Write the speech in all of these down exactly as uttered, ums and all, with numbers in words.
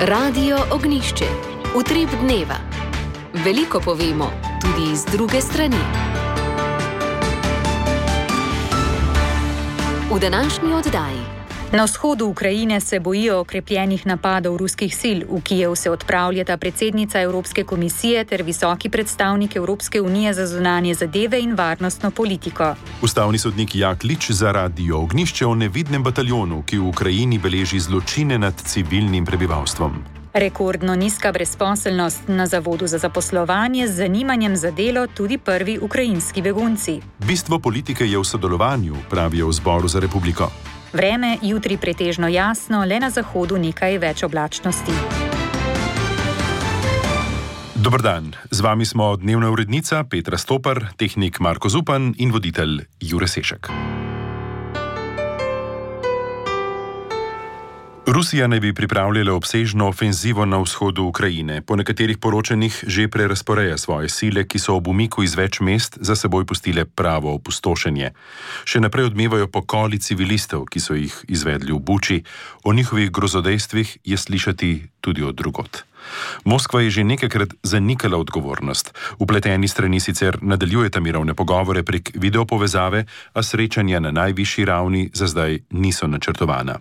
Radio Ognišče, utrip dneva. Veliko povemo, tudi iz druge strani. V današnji oddaji. Na vzhodu Ukrajine se bojijo okrepljenih napadov ruskih sil. V Kijev se odpravljata predsednica Evropske komisije ter visoki predstavnik Evropske unije za zunanje zadeve in varnostno politiko. Ustavni sodnik Jaklič za Radio Ognišče o nevidnem bataljonu, ki v Ukrajini beleži zločine nad civilnim prebivalstvom. Rekordno nizka brezposelnost na Zavodu za zaposlovanje, z zanimanjem za delo tudi prvi ukrajinski begunci. Bistvo politike je v sodelovanju, pravijo v Zboru za republiko. Vreme jutri pretežno jasno, le na zahodu nekaj več oblačnosti. Dober dan, z vami smo dnevna urednica Petra Stopar, tehnik Marko Zupan in voditelj Jure Sešek. Rusija naj bi pripravljala obsežno ofenzivo na vzhodu Ukrajine. Po nekaterih poročanjih že prerazporeja svoje sile, ki so ob umiku iz več mest za seboj pustile pravo opustošenje. Še naprej odmevajo pokoli civilistov, ki so jih izvedli v Buči. O njihovih grozodejstvih je slišati tudi od drugot. Moskva je že nekajkrat zanikala odgovornost. Vpleteni strani sicer nadaljujeta mirovne pogovore prek videopovezave, a srečanja na najvišji ravni za zdaj niso načrtovana.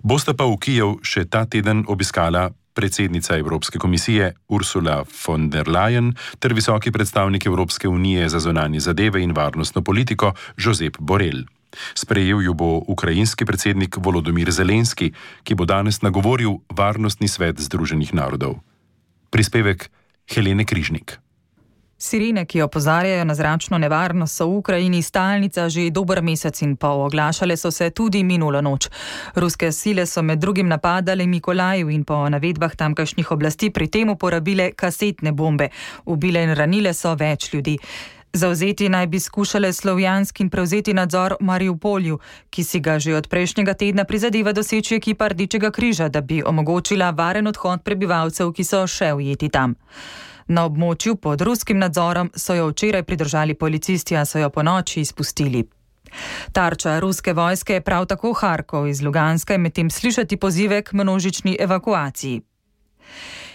Bosta pa v Kijev še ta teden obiskala predsednica Evropske komisije Ursula von der Leyen ter visoki predstavnik Evropske unije za zunanje zadeve in varnostno politiko Josep Borrell. Sprejel ju bo ukrajinski predsednik Volodymyr Zelenski, ki bo danes nagovoril Varnostni svet Združenih narodov. Prispevek Helene Križnik. Sirene, ki opozarjajo na zračno nevarnost, so v Ukrajini stalnica že dober mesec in pol. Oglašale so se tudi minulo noč. Ruske sile so med drugim napadale Mikolajiv in po navedbah tamkajšnjih oblasti pri tem uporabile kasetne bombe. Ubile in ranile so več ljudi. Zavzeti naj bi skušale Slovjansk in prevzeti nadzor v Mariupolju, ki si ga že od prejšnjega tedna prizadeva doseči ekipa Rdečega križa, da bi omogočila varen odhod prebivalcev, ki so še ujeti tam. Na območju pod ruskim nadzorom so jo včeraj pridržali policisti, a so jo po noči izpustili. Tarča ruske vojske je prav tako Harkov. Iz Luganska je medtem slišati pozive k množični evakuaciji.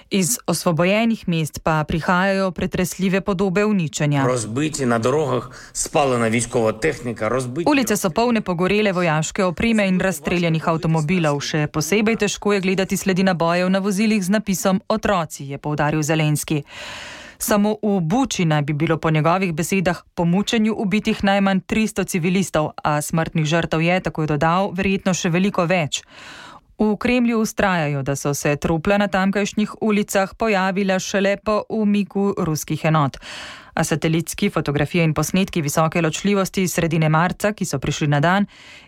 Iz osvobojenih mest pa prihajajo pretresljive podobe uničenja. Rozbiti na drogah, spalena vojskova tehnika, rozbiti... Ulice so polne pogorele vojaške opreme in razstreljanih avtomobilov. Še posebej težko je gledati sledi nabojev na vozilih z napisom Otroci, je poudaril Zelenski. Samo v Buči naj bi bilo po njegovih besedah po mučenju ubitih najmanj tristo civilistov, a smrtnih žrtev je, tako je dodal, verjetno še veliko več. V Kremlju vztrajajo, da so se trupla na tamkajšnjih ulicah pojavila šele po umiku ruskih enot. A satelitski fotografije in posnetki visoke ločljivosti iz sredine marca, ki so prišli na dan,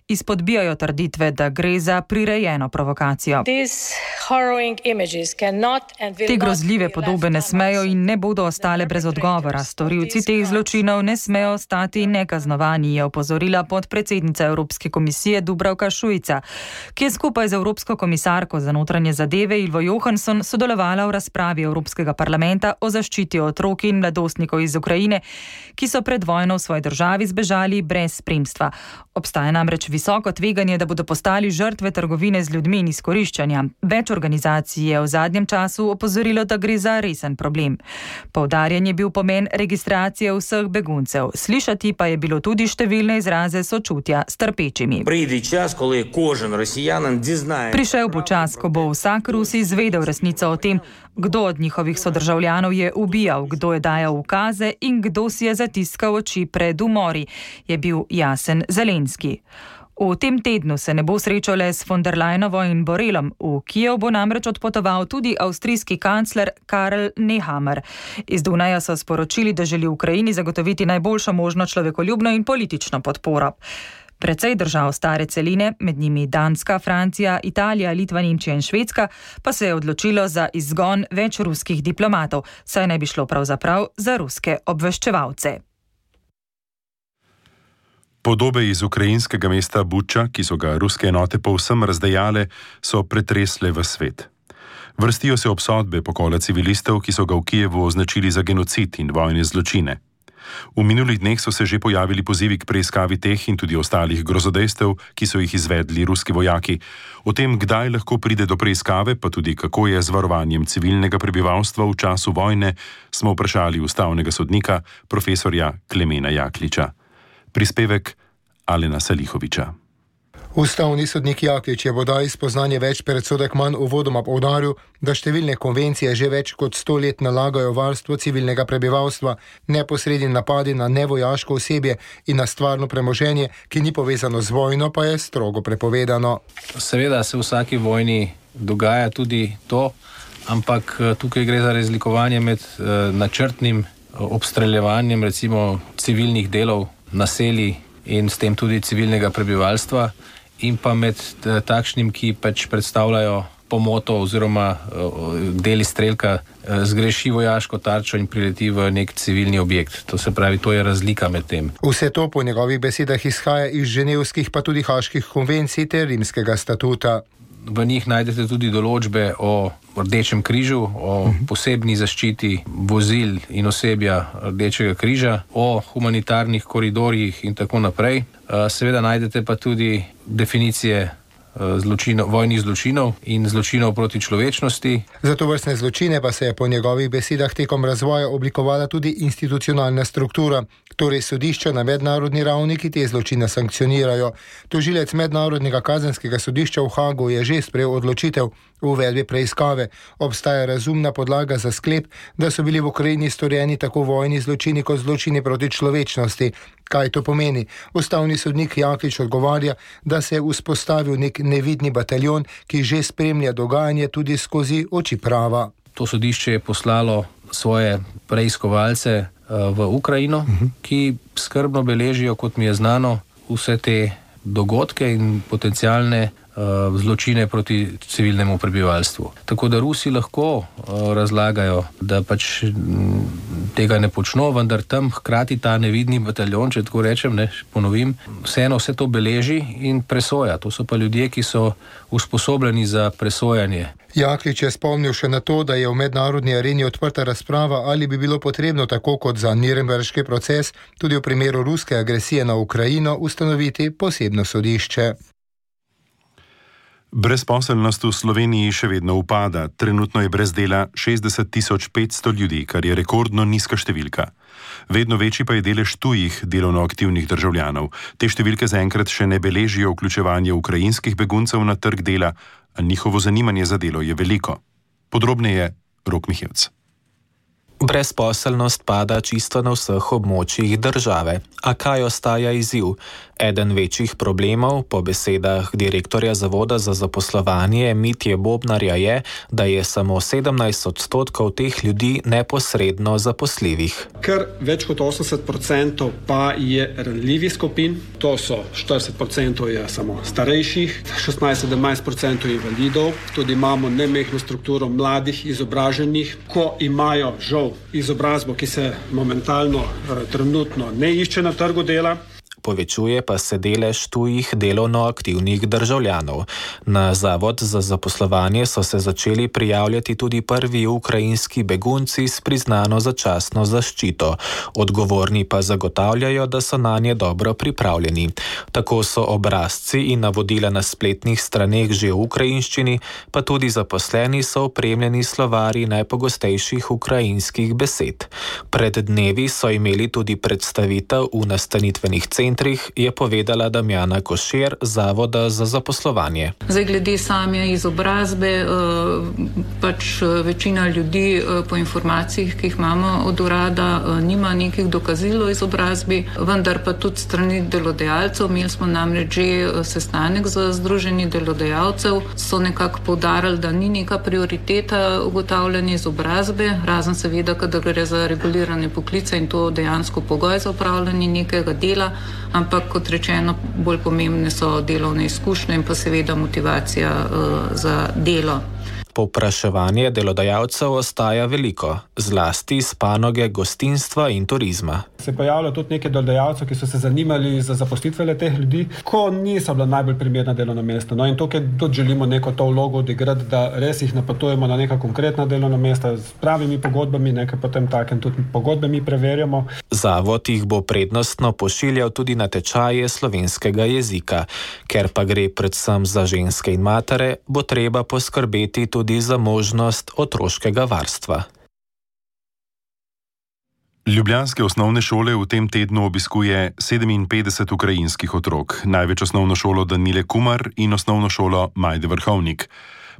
izpodbijajo trditve, da gre za prirejeno provokacijo. Te grozljive podobe ne smejo in ne bodo ostale brez odgovora. Storilci teh zločinov ne smejo ostati nekaznovani, je opozorila podpredsednica Evropske komisije Dubravka Šuica, ki je skupaj z Evropsko komisarko za notranje zadeve Ilvo Johansson sodelovala v razpravi Evropskega parlamenta o zaščiti otrok in mladostnikov iz Ukrajine, ki so pred vojno v svoji državi zbežali brez spremstva. Obstaja namreč visoko tveganje, da bodo postali žrtve trgovine z ljudmi in izkoriščanja. Več organizacij je v zadnjem času opozorilo, da gre za resen problem. Poudarjen je bil pomen registracije vseh beguncev. Slišati pa je bilo tudi številne izraze sočutja s trpečimi. Prišel bo čas, ko bo vsak Rus izvedel resnico o tem, kdo od njihovih sodržavljanov je ubijal, kdo je dajal ukaze in kdo si je zatiskal oči pred umori, je bil jasen Zelenski. V tem tednu se ne bo srečal le s von der Leyenovo in Borrellom. V Kijev bo namreč odpotoval tudi avstrijski kancler Karl Nehammer. Iz Dunaja so sporočili, da želi Ukrajini zagotoviti najboljšo možno človekoljubno in politično podporo. Precej držav stare celine, med njimi Danska, Francija, Italija, Litva, Nemčija in Švedska, pa se je odločilo za izgon več ruskih diplomatov, saj naj bi šlo pravzaprav za ruske obveščevalce. Podobe iz ukrajinskega mesta Buča, ki so ga ruske enote povsem razdejale, so pretresle v svet. Vrstijo se obsodbe pokola civilistov, ki so ga v Kijevu označili za genocid in vojne zločine. V minulih dneh so se že pojavili pozivi k preiskavi teh in tudi ostalih grozodejstev, ki so jih izvedli ruski vojaki. O tem, kdaj lahko pride do preiskave, pa tudi kako je z varovanjem civilnega prebivalstva v času vojne, smo vprašali ustavnega sodnika, profesorja Klemena Jakliča. Prispevek Alena Salihoviča. Ustavni sodnik Jaklič je bodaj spoznanje več predsodek manj uvodoma poudaril, da številne konvencije že več kot sto let nalagajo varstvo civilnega prebivalstva, neposredni napadi na nevojaško osebje in na stvarno premoženje, ki ni povezano z vojno, pa je strogo prepovedano. Seveda se v vsaki vojni dogaja tudi to, ampak tukaj gre za razlikovanje med načrtnim obstreljevanjem recimo civilnih delov, naselij in s tem tudi civilnega prebivalstva, in pa med takšnim, ki pač predstavljajo pomoto oziroma deli strelka zgreši vojaško tarčo in prileti v nek civilni objekt. To se pravi, to je razlika med tem. Vse to po njegovih besedah izhaja iz ženevskih pa tudi haških konvencij ter rimskega statuta. V njih najdete tudi določbe o Rdečem križu, o posebni zaščiti vozil in osebja Rdečega križa, o humanitarnih koridorjih in tako naprej. Seveda najdete pa tudi definicije zločinov, vojnih zločinov in zločinov proti človečnosti. Za tovrstne zločine pa se je po njegovih besedah tekom razvoja oblikovala tudi institucionalna struktura, torej sodišča na mednarodni ravni, ki te zločine sankcionirajo. Tožilec Mednarodnega kazenskega sodišča v Hagu je že sprejel odločitev o uvedbi preiskave. Obstaja razumna podlaga za sklep, da so bili v Ukrajini storjeni tako vojni zločini kot zločini proti človečnosti. Kaj to pomeni? Ustavni sodnik Jaklič odgovarja, da se je vzpostavil nek nevidni bataljon, ki že spremlja dogajanje tudi skozi oči prava. To sodišče je poslalo svoje preiskovalce v Ukrajino, ki skrbno beležijo, kot mi je znano, vse te dogodke in potencialne zločine proti civilnemu prebivalstvu. Tako da Rusi lahko razlagajo, da pač tega ne počno, vendar tam hkrati ta nevidni bataljon, če tako rečem, ne, ponovim, vseeno vse to beleži in presoja. To so pa ljudje, ki so usposobljeni za presojanje. Jaklič je spomnil še na to, da je v mednarodni areni odprta razprava, ali bi bilo potrebno tako kot za Nürnberški proces, tudi v primeru ruske agresije na Ukrajino ustanoviti posebno sodišče. Brezposelnost v Sloveniji še vedno upada. Trenutno je brez dela šestdeset tisoč petsto ljudi, kar je rekordno nizka številka. Vedno večji pa je delež tujih delovno aktivnih državljanov. Te številke zaenkrat še ne beležijo vključevanje ukrajinskih beguncev na trg dela, a njihovo zanimanje za delo je veliko. Podrobneje Rok Mihevc. Brezposelnost pada čisto na vseh območjih države. A kaj ostaja izziv? Eden večjih problemov, po besedah direktorja Zavoda za zaposlovanje Mitje Bobnarja, je, da je samo sedemnajst odstotkov teh ljudi neposredno zaposljivih. Ker več kot osemdeset procentov pa je ranljivih skupin, to so štirideset procentov je samo starejših, šestnajst do sedemnajst procentov invalidov, tudi imamo nemehno strukturo mladih, izobraženih, ko imajo žal izobrazbo, ki se momentalno, trenutno ne išče na trgu dela. Povečuje pa se delež tujih delovno aktivnih državljanov. Na Zavod za zaposlovanje so se začeli prijavljati tudi prvi ukrajinski begunci s priznano začasno zaščito. Odgovorni pa zagotavljajo, da so nanje dobro pripravljeni. Tako so obrazci in navodila na spletnih straneh že v ukrajinščini, pa tudi zaposleni so opremljeni slovarji najpogostejših ukrajinskih besed. Pred dnevi so imeli tudi predstavitev v nastanitvenih centrih, je povedala Damjana Košir, Zavoda za zaposlovanje. Zdaj, glede same izobrazbe, pač večina ljudi po informacijah, ki jih imamo od urada, nima nekih dokazil o izobrazbi, vendar pa tudi strani delodajalcev. Imeli smo namreč že sestanek z združenji delodajalcev, so nekako poudarili, da ni neka prioriteta ugotavljanje izobrazbe, razen seveda, kadar gre za regulirane poklice in to dejansko pogoj za opravljanje nekega dela, ampak kot rečeno, bolj pomembne so delovne izkušnje in pa seveda motivacija uh, za delo. Povpraševanje delodajalcev ostaja veliko, zlasti iz panoge gostinstva in turizma. Se pojavljajo tudi neki delodajalci, ki so se zanimali za zaposlitve teh ljudi, ko niso bila najbolj primerna delovna mesta. No in tukaj tudi želimo neko to vlogo odigrati, da res jih napotujemo na neka konkretna delovna mesta s pravimi pogodbami, nekaj potem takem tudi pogodbe mi preverjamo. Zavod jih bo prednostno pošiljal tudi na tečaje slovenskega jezika. Ker pa gre predvsem za ženske in matere, bo treba poskrbeti tudi za možnost otroškega varstva. Ljubljanske osnovne šole v tem tednu obiskuje sedeminpetdeset ukrajinskih otrok, največ osnovno šolo Danile Kumar in osnovno šolo Majde Vrhovnik.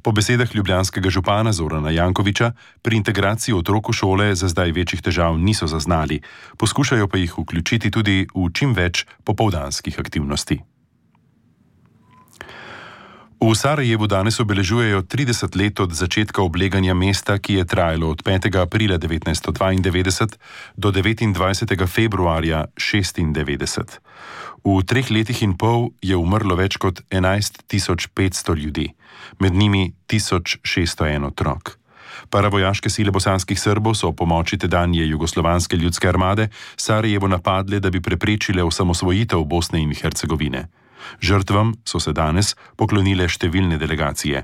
Po besedah ljubljanskega župana Zorana Jankovića, pri integraciji otrok v šole za zdaj večjih težav niso zaznali, poskušajo pa jih vključiti tudi v čim več popoldanskih aktivnosti. V Sarajevu danes obeležujejo trideset let od začetka obleganja mesta, ki je trajalo od petega aprila devetnajststo dvaindevetdeset do devetindvajsetega februarja šestindevetdeset. V treh letih in pol je umrlo več kot enajst tisoč petsto ljudi, med njimi tisoč šeststo en otrok. Paravojaške sile bosanskih Srbov so ob pomoči tedanje jugoslovanske ljudske armade Sarajevo napadle, da bi preprečile osamosvojitev Bosne in Hercegovine. Žrtvam so se danes poklonile številne delegacije.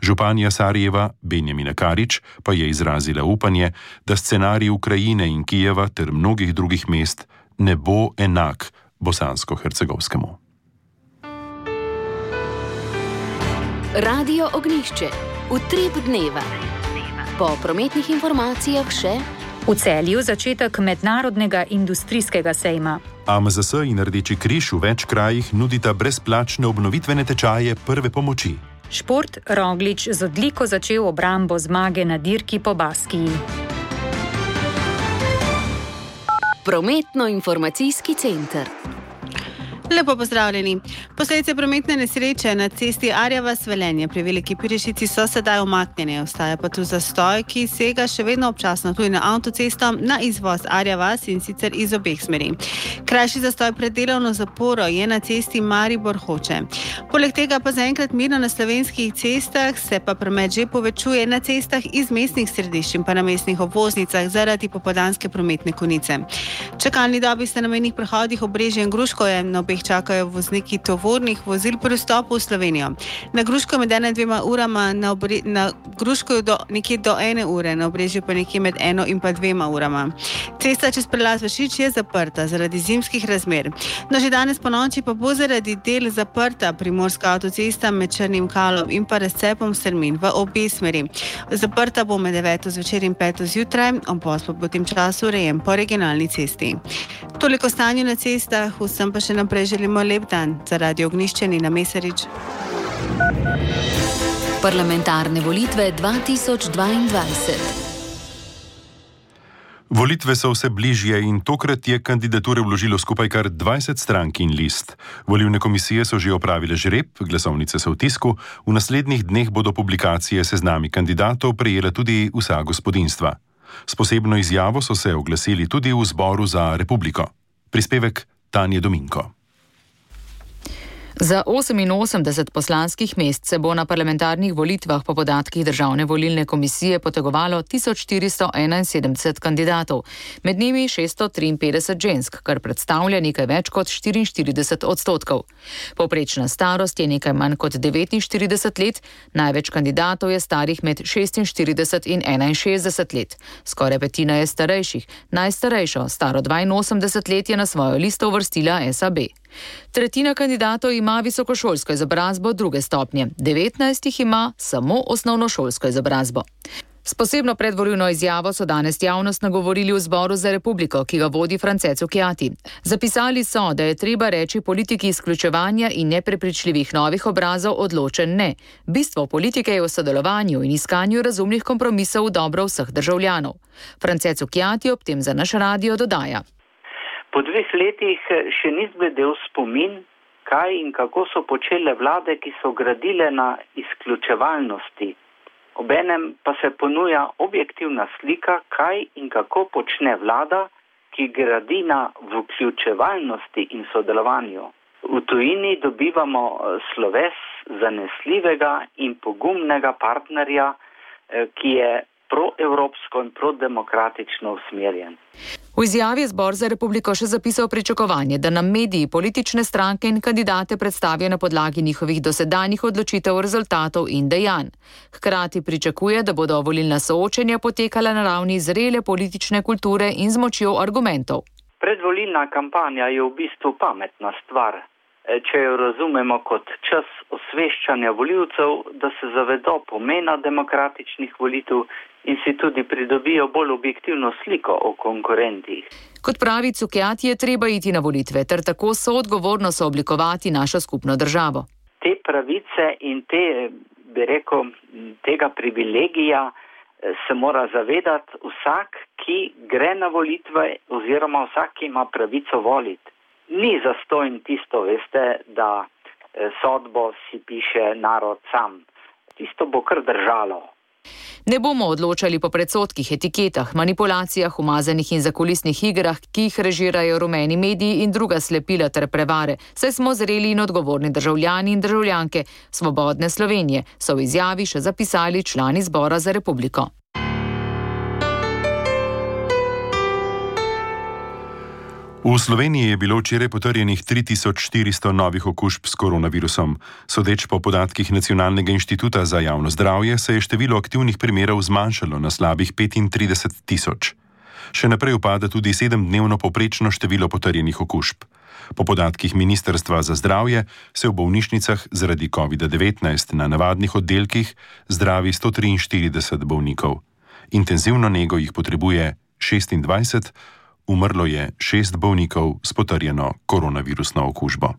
Županja Sarajeva Benjamina Karič pa je izrazila upanje, da scenarij Ukrajine in Kijeva ter mnogih drugih mest ne bo enak bosansko-hercegovskemu. Radio Ognjišče. Utrip dneva. Po prometnih informacijah še v Celju začetek mednarodnega industrijskega sejma. A M Z S in Rdeči križ v več krajih nudita brezplačne obnovitvene tečaje prve pomoči. Šport Roglič z odliko začel obrambo zmage na dirki po Baskiji. Prometno-informacijski center. Lepo pozdravljeni. Posledice prometne nesreče na cesti Arja-vas-Velenje pri Veliki Pirešici so sedaj umaknjene. Ostaja pa tu zastoj, ki sega še vedno občasno tudi na avtocesto na izvoz Arja-vas in sicer iz obeh smeri. Krajši zastoj pred delovno zaporo je na cesti Maribor-Hoče. Poleg tega pa zaenkrat mirno na slovenskih cestah, se pa promet že povečuje na cestah iz mestnih središč in pa na mestnih obvoznicah zaradi popoldanske prometne konice. Čakalni dobi sta na mejnih prehodih Obrežje in Gruškovje, na obeh čakajo vozniki tovornih vozil pri vstopu v Slovenijo. Na Gruško med ena in dvema urama, na, obre, na Gruško do, nekje do ene ure, na Obrežju pa nekje med eno in pa dvema urama. Cesta čez prelaz Vršič je zaprta zaradi zimskih razmer. No, že danes po noči pa bo zaradi del zaprta primorska avtocesta med Črnim Kalom in pa razcepom Strmin v obe smeri. Zaprta bo med deveto zvečer in peto zjutraj, obvoz pa bo v tem času urejen po regionalni cesti. Toliko stanju na cestah, vsem pa še naprej želimo lep dan. Za Radio Ognjišče Nina Mesarič. Parlamentarne volitve dva tisoč dvaindvajset. Volitve so vse bližje in tokrat je kandidature vložilo skupaj kar dvajset strank in list. Volilne komisije so že opravile žreb, glasovnice so v tisku, v naslednjih dneh bodo publikacije seznami kandidatov prejela tudi vsa gospodinjstva. S posebno izjavo so se oglasili tudi v Zboru za Republiko. Prispevek Tanje Dominko. Za oseminosemdeset poslanskih mest se bo na parlamentarnih volitvah po podatkih Državne volilne komisije potegovalo tisoč štiristo enainsedemdeset kandidatov, med njimi šeststo triinpetdeset žensk, kar predstavlja nekaj več kot štiriinštirideset odstotkov. Povprečna starost je nekaj manj kot devetinštirideset let, največ kandidatov je starih med šestinštirideset in enainšestdeset let. Skoraj petina je starejših, najstarejšo, staro dvainosemdeset let, je na svojo listo uvrstila S A B. Tretjina kandidatov ima visokošolsko izobrazbo druge stopnje, devetnajst jih ima samo osnovnošolsko izobrazbo. S posebno predvolilno izjavo so danes javnost nagovorili v Zboru za Republiko, ki ga vodi France Cukjati. Zapisali so, da je treba reči politiki izključevanja in neprepričljivih novih obrazov odločen ne. Bistvo politike je v sodelovanju in iskanju razumnih kompromisov v dobro vseh državljanov. France Cukjati ob tem za naš radio dodaja. Po dveh letih še ni zbledel spomin, kaj in kako so počele vlade, ki so gradile na izključevalnosti. Obenem pa se ponuja objektivna slika, kaj in kako počne vlada, ki gradi na vključevalnosti in sodelovanju. V tujini dobivamo sloves zanesljivega in pogumnega partnerja, ki je proevropsko in prodemokratično usmerjen. V izjavi je Zbor za republiko še zapisal pričakovanje, da nam mediji, politične stranke in kandidate predstavijo na podlagi njihovih dosedanjih odločitev, rezultatov in dejanj. Hkrati pričakuje, da bodo volilna soočenja potekala na ravni zrele politične kulture in z močjo argumentov. Predvolilna kampanja je v bistvu pametna stvar, če jo razumemo kot čas osveščanja volivcev, da se zavedo pomena demokratičnih volitev in si tudi pridobijo bolj objektivno sliko o konkurentih. Kot pravi Cukjati, je treba iti na volitve ter tako soodgovorno sooblikovati našo skupno državo. Te pravice in te, bi rekel, tega privilegija se mora zavedati vsak, ki gre na volitve oziroma vsak, ki ima pravico voliti. Ni zastojn tisto, veste, da sodbo si piše narod sam. Tisto bo kar držalo. Ne bomo odločali po predsodkih, etiketah, manipulacijah, umazanih in zakulisnih igrah, ki jih režirajo rumeni mediji in druga slepila ter prevare, saj smo zreli in odgovorni državljani in državljanke svobodne Slovenije, so v izjavi še zapisali člani Zbora za republiko. V Sloveniji je bilo včeraj potrjenih tri tisoč štiristo novih okužb s koronavirusom. Sodeč po podatkih Nacionalnega inštituta za javno zdravje se je število aktivnih primerov zmanjšalo na slabih petintrideset tisoč. Še naprej upada tudi sedemdnevno povprečno število potrjenih okužb. Po podatkih Ministrstva za zdravje se v bolnišnicah zaradi kovida devetnajst na navadnih oddelkih zdravi sto triinštirideset bolnikov. Intenzivno nego jih potrebuje šestindvajset, umrlo je šest bolnikov s potrjeno koronavirusno okužbo.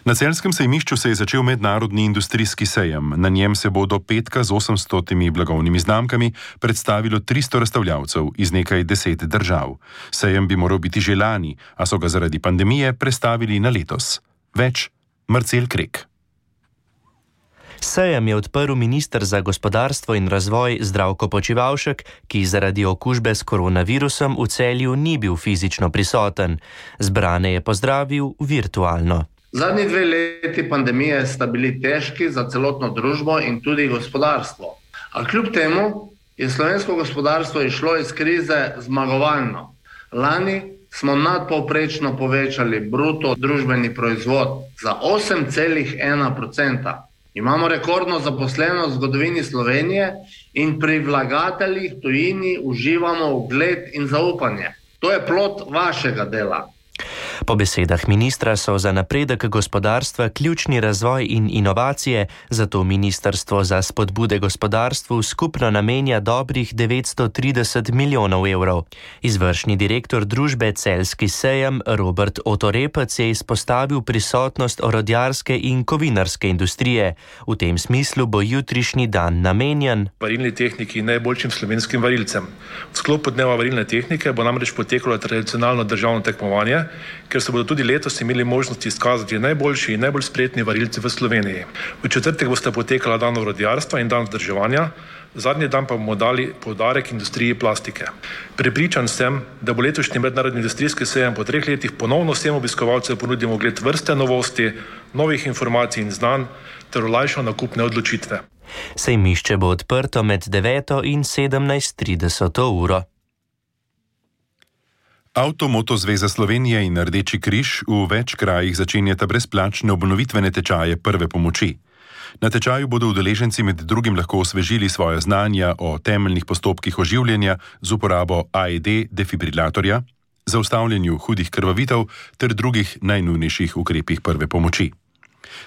Na celjskem sejmišču se je začel mednarodni industrijski sejem. Na njem se bo do petka z osemstotimi blagovnimi znamkami predstavilo tristo razstavljavcev iz nekaj deset držav. Sejem bi moral biti že lani, a so ga zaradi pandemije prestavili na letos. Več Marcel Krek. Sejem je odprl minister za gospodarstvo in razvoj Zdravko Počivalšek, ki zaradi okužbe s koronavirusom v Celju ni bil fizično prisoten. Zbrane je pozdravil virtualno. Zadnji dve leti pandemije sta bili težki za celotno družbo in tudi gospodarstvo. A kljub temu je slovensko gospodarstvo išlo iz krize zmagovalno. Lani smo nadpovprečno povečali bruto družbeni proizvod za osem celih ena odstotka. Imamo rekordno zaposlenost v zgodovini Slovenije in pri vlagateljih tujini uživamo ugled in zaupanje. To je plod vašega dela. Po besedah ministra so za napredek gospodarstva ključni razvoj in inovacije, zato Ministrstvo za spodbude gospodarstvu skupno namenja dobrih devetsto trideset milijonov evrov. Izvršni direktor družbe Celjski sejem Robert Otorepec je izpostavil prisotnost orodjarske in kovinarske industrije. V tem smislu bo jutrišnji dan namenjen varilni tehniki in najboljšim slovenskim varilcem. V sklopu dneva varilne tehnike bo namreč potekalo tradicionalno državno tekmovanje, ker se bodo tudi letos imeli možnosti izkazati najboljši in najbolj spretni varilci v Sloveniji. V četrtek bosta potekala dan orodjarstva in dan vzdrževanja, zadnji dan pa bomo dali poudarek industriji plastike. Prepričan sem, da bo letošnji mednarodni industrijski sejem po treh letih ponovno vsem obiskovalcem ponudil ogled vrste novosti, novih informacij in znanj ter olajšal nakupne odločitve. Sejmišče bo odprto med deveto in sedemnajst trideset uro. Avtomoto Zveza Slovenije in Rdeči križ v več krajih začenjata brezplačne obnovitvene tečaje prve pomoči. Na tečaju bodo udeleženci med drugim lahko osvežili svoje znanja o temeljnih postopkih oživljanja z uporabo A E D defibrilatorja, zaustavljanju hudih krvavitev ter drugih najnujnejših ukrepih prve pomoči.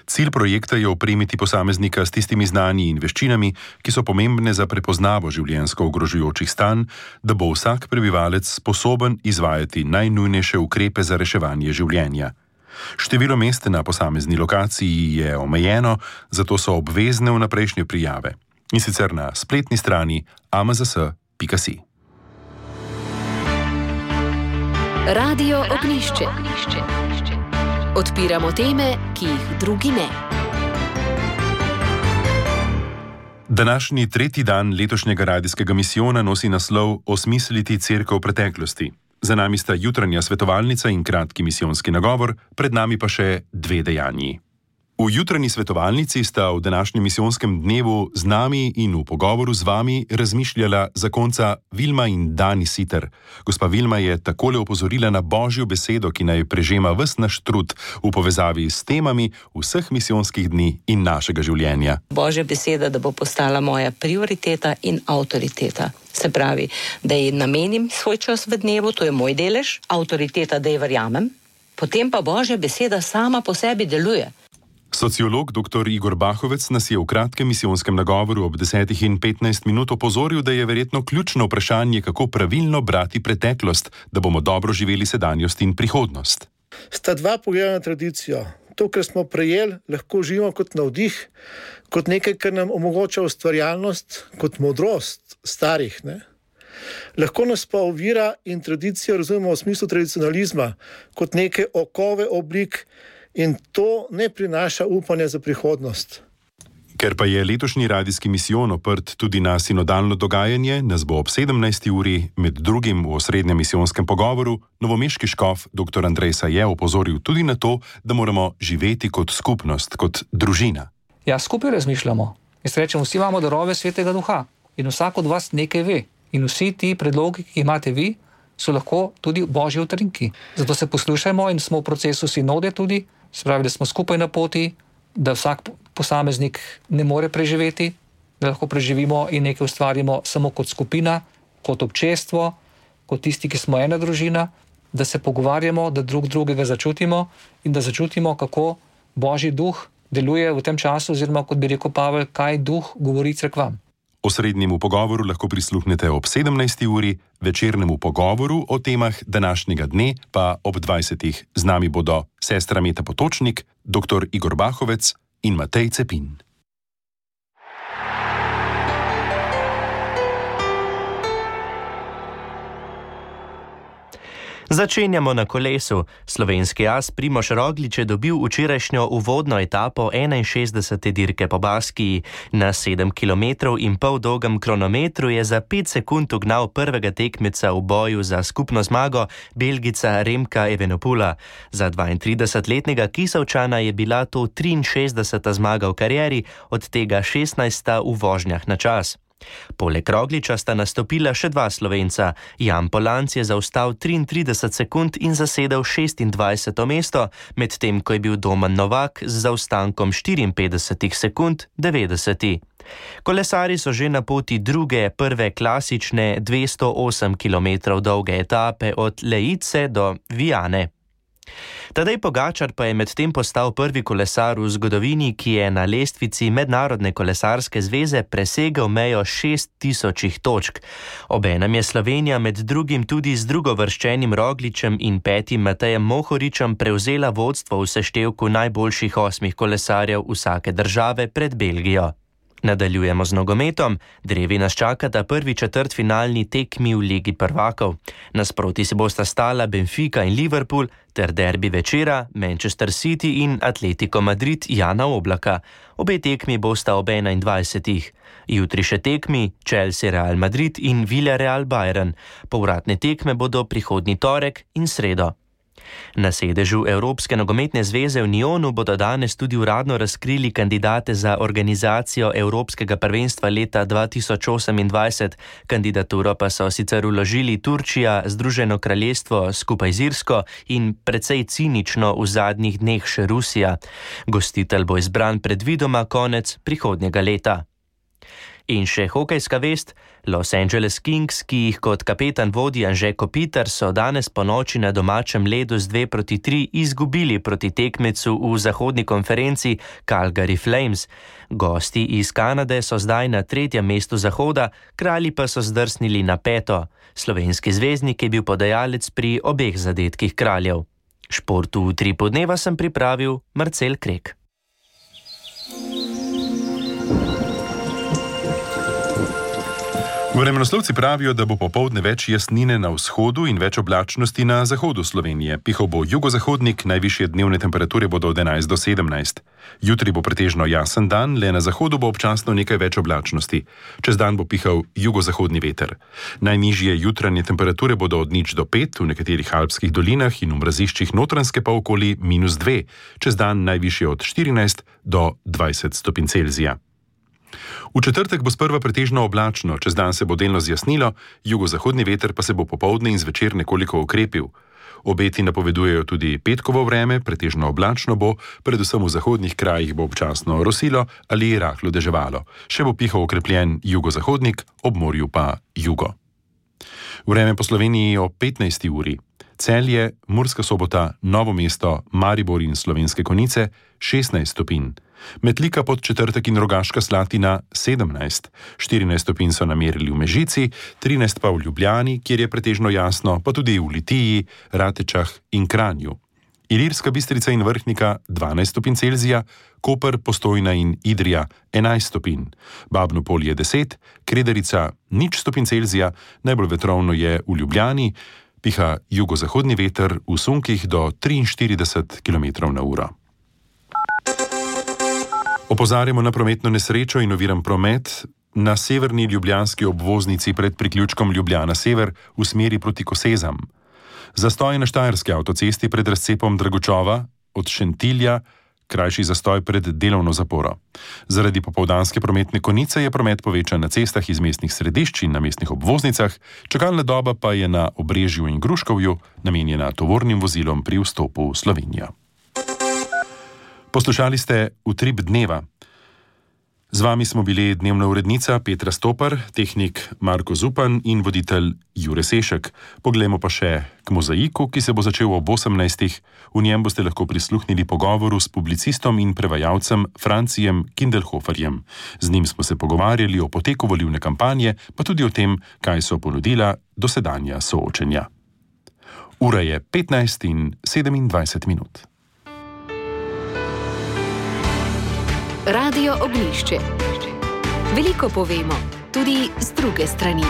Cilj projekta je opremiti posameznika s tistimi znanji in veščinami, ki so pomembne za prepoznavo življenjsko ogrožujočih stanj, da bo vsak prebivalec sposoben izvajati najnujnejše ukrepe za reševanje življenja. Število mest na posamezni lokaciji je omejeno, zato so obvezne vnaprejšnje prijave. In sicer na spletni strani a m z s pika si. Radio Ognjišče. Odpiramo teme, ki jih drugi ne. Današnji tretji dan letošnjega radijskega misijona nosi naslov Osmisliti cerkev preteklosti. Za nami sta jutranja svetovalnica in kratki misijonski nagovor, pred nami pa še dve dejanji. V jutranji svetovalnici sta v današnjem misijonskem dnevu z nami in v pogovoru z vami razmišljala zakonca Vilma in Dani Siter. Gospa Vilma je takole opozorila na Božjo besedo, ki naj prežema ves naš trud v povezavi s temami vseh misijonskih dni in našega življenja. Božja beseda, da bo postala moja prioriteta in avtoriteta. Se pravi, da ji namenim svoj čas v dnevu, to je moj delež, avtoriteta, da ji verjamem, potem pa Božja beseda sama po sebi deluje. Sociolog doktor Igor Bahovec nas je v kratkem misijonskem nagovoru ob desetih in petnajst minut opozoril, da je verjetno ključno vprašanje, kako pravilno brati preteklost, da bomo dobro živeli sedanjost in prihodnost. Sta dva pogleda na tradicijo. To, kar smo prejeli, lahko živimo kot navdih, kot nekaj, kar nam omogoča ustvarjalnost, kot modrost starih. Ne? Lahko nas pa ovira in tradicijo razumemo v smislu tradicionalizma, kot neke okove oblik, in to ne prinaša upanja za prihodnost. Ker pa je letošnji radijski misijon oprt tudi na sinodalno dogajanje, nas bo ob sedemnajsti uri med drugim v osrednjem misijonskem pogovoru novomeški škof doktor Andrej Saje opozoril tudi na to, da moramo živeti kot skupnost, kot družina. Ja, skupaj razmišljamo. Jaz rečem, vsi imamo darove Svetega Duha in vsak od vas nekaj ve. In vsi ti predlogi, ki imate vi, so lahko tudi Božji utrinki. Zato se poslušajmo in smo v procesu sinode tudi, se pravi, da smo skupaj na poti, da vsak posameznik ne more preživeti, da lahko preživimo in nekaj ustvarimo samo kot skupina, kot občestvo, kot tisti, ki smo ena družina, da se pogovarjamo, da drug drugega začutimo in da začutimo, kako Božji duh deluje v tem času, oziroma kot bi rekel Pavel, kaj duh govori cerkvam. Osrednjemu pogovoru lahko prisluhnete ob sedemnajsti uri, večernemu pogovoru o temah današnjega dne pa ob dvajsetih. Z nami bodo sestra Meta Potočnik, doktor Igor Bahovec in Matej Cepin. Začenjamo na kolesu. Slovenski as Primož Roglič je dobil včerajšnjo uvodno etapo enainšestdesete dirke po Baskiji. Na sedem kilometrov in pol dolgem kronometru je za pet sekund ugnal prvega tekmeca v boju za skupno zmago, Belgica Remka Evenepoela. Za dvaintridesetletnega Kisovčana je bila to triinšestdeseta zmaga v karieri, od tega šestnajsta v vožnjah na čas. Poleg Rogliča sta nastopila še dva Slovenca. Jan Polanc je zaostal triintrideset sekund in zasedel šestindvajseto mesto, medtem ko je bil Domen Novak z zaostankom štiriinpetdeset sekund devetdeseti. Kolesarji so že na poti druge, prve klasične dvesto osem kilometrov dolge etape od Leice do Viane. Tadej Pogačar pa je medtem postal prvi kolesar v zgodovini, ki je na lestvici Mednarodne kolesarske zveze presegel mejo šest tisočih točk. Obenem je Slovenija med drugim tudi z drugovrščenim Rogličem in petim Matejem Mohoričem prevzela vodstvo v seštevku najboljših osmih kolesarjev vsake države pred Belgijo. Nadaljujemo z nogometom. Drevi nas čakata prvi četrtfinalni tekmi v Ligi prvakov. Nasproti si bosta stala Benfica in Liverpool ter derbi večera Manchester City in Atletico Madrid Jana Oblaka. Obe tekmi bosta ob enaindvajsetih. Jutri še tekmi Chelsea Real Madrid in Villarreal Bayern. Povratne tekme bodo prihodnji torek in sredo. Na sedežu Evropske nogometne zveze v Nyonu bodo danes tudi uradno razkrili kandidate za organizacijo Evropskega prvenstva leta dva tisoč osemindvajset. Kandidaturo pa so sicer vložili Turčija, Združeno kraljestvo skupaj z Irsko in precej cinično v zadnjih dneh še Rusija. Gostitelj bo izbran predvidoma konec prihodnjega leta. In še hokejska vest. Los Angeles Kings, ki jih kot kapetan vodi Anže Kopitar, so danes po noči na domačem ledu z dve proti tri izgubili proti tekmecu v zahodni konferenci Calgary Flames. Gosti iz Kanade so zdaj na tretjem mestu zahoda, kralji pa so zdrsnili na peto. Slovenski zvezdnik je bil podajalec pri obeh zadetkih kraljev. Športu v Utripu dneva sem pripravil Marcel Krek. Vremenoslovci pravijo, da bo popoldne več jasnine na vzhodu in več oblačnosti na zahodu Slovenije. Pihal bo jugozahodnik, najvišje dnevne temperature bodo od enajst do sedemnajst. Jutri bo pretežno jasen dan, le na zahodu bo občasno nekaj več oblačnosti. Čez dan bo pihal jugozahodni veter. Najnižje jutranje temperature bodo od nič do pet, v nekaterih alpskih dolinah in v mraziščih Notranjske pa okoli minus dve. Čez dan najvišje od štirinajst do dvajset stopinj Celzija. V četrtek bo sprva pretežno oblačno, čez dan se bo delno zjasnilo, jugozahodni veter pa se bo popoldne in zvečer nekoliko okrepil. Obeti napovedujejo tudi petkovo vreme, pretežno oblačno bo, predvsem v zahodnih krajih bo občasno rosilo ali rahlo deževalo. Še bo pihal okrepljen jugozahodnik, ob morju pa jugo. Vreme po Sloveniji o petnajsti uri. Celje, Murska Sobota, Novo mesto, Maribor in Slovenske Konjice šestnajst stopinj. Metlika pod četrtek in Rogaška Slatina sedemnajst, štirinajst stopinj so namerili v Mežici, trinajst pa v Ljubljani, kjer je pretežno jasno, pa tudi v Litiji, Ratečah in Kranju. Ilirska Bistrica in Vrhnika dvanajst stopinj Celzija, Koper, Postojna in Idrija enajst stopinj, Babno Polje deset, Kredarica nič stopinj Celzija, najbolj vetrovno je v Ljubljani, piha jugozahodni veter v sunkih do triinštirideset kilometrov na uro. Opozarjamo na prometno nesrečo in oviran promet na severni ljubljanski obvoznici pred priključkom Ljubljana Sever v smeri proti Kosezam. Zastoj na Štajerski avtocesti pred razcepom Dragočova od Šentilja, krajši zastoj pred delovno zaporo. Zaradi popoldanske prometne konice je promet povečan na cestah iz mestnih središč in na mestnih obvoznicah, čakalna doba pa je na Obrežju in Gruškovju namenjena tovornim vozilom pri vstopu v Slovenijo. Poslušali ste Utrip dneva. Z vami smo bili dnevna urednica Petra Stopar, tehnik Marko Zupan in voditelj Jure Sešek. Poglejmo pa še k mozaiku, ki se bo začel ob osemnajstih. V njem boste lahko prisluhnili pogovoru s publicistom in prevajalcem Francijem Kindelhoferjem. Z njim smo se pogovarjali o poteku volilne kampanje, pa tudi o tem, kaj so ponudila dosedanja soočenja. Ura je petnajst in sedemindvajset minut. Radio Ognjišče. Veliko povemo, tudi z druge strani.